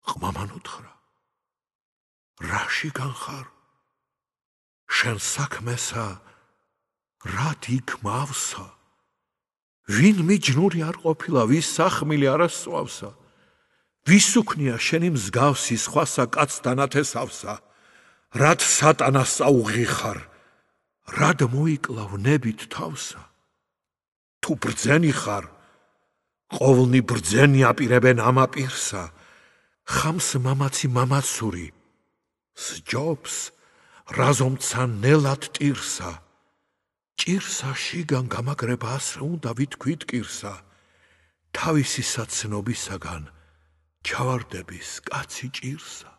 ყმამან უთხრა, რაშიგან ხარ? შენ საქმესა რად იქმავსა? ვინ მიჯნური არ ყოფილა, ვის სახმილი არ ასწვავსა? ვის უქნია შენი მსგავსი სხვასა კაც დანათესავსა? რად სატანას წაუღიხარ? რად მოიკლავ ნებით თავსა? თუ ბრძენი ხარ, ყოვლნი ბრძენი აპირებენ ამ აპირსა. ხამს მამაცი მამაცური, სჯობს რაზომცა ნელად ტირსა. ჭირსა შიგან გამაგრება ასრე უნდა ვითქვით კირსა. თავისი საცნობისაგან ჩავარდების კაცი ჭირსა.